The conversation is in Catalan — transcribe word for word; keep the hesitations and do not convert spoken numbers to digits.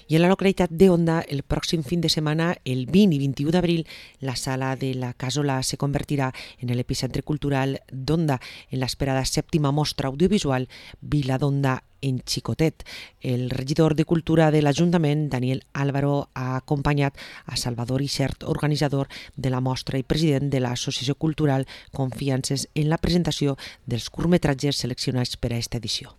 I en la localitat d'Onda, el pròxim fin de setmana, el vint i vint-i-u d'abril, la sala de la Casola se convertirà en l'epicentre cultural d'Onda, en l'esperada sèptima mostra audiovisual Vila d'Onda en xicotet. El regidor de Cultura de l'Ajuntament, Daniel Álvaro, ha acompanyat a Salvador Ixert, organitzador de la mostra i president de l'Associació Cultural Confiances, en la presentació dels curtmetratges seleccionats per a aquesta edició.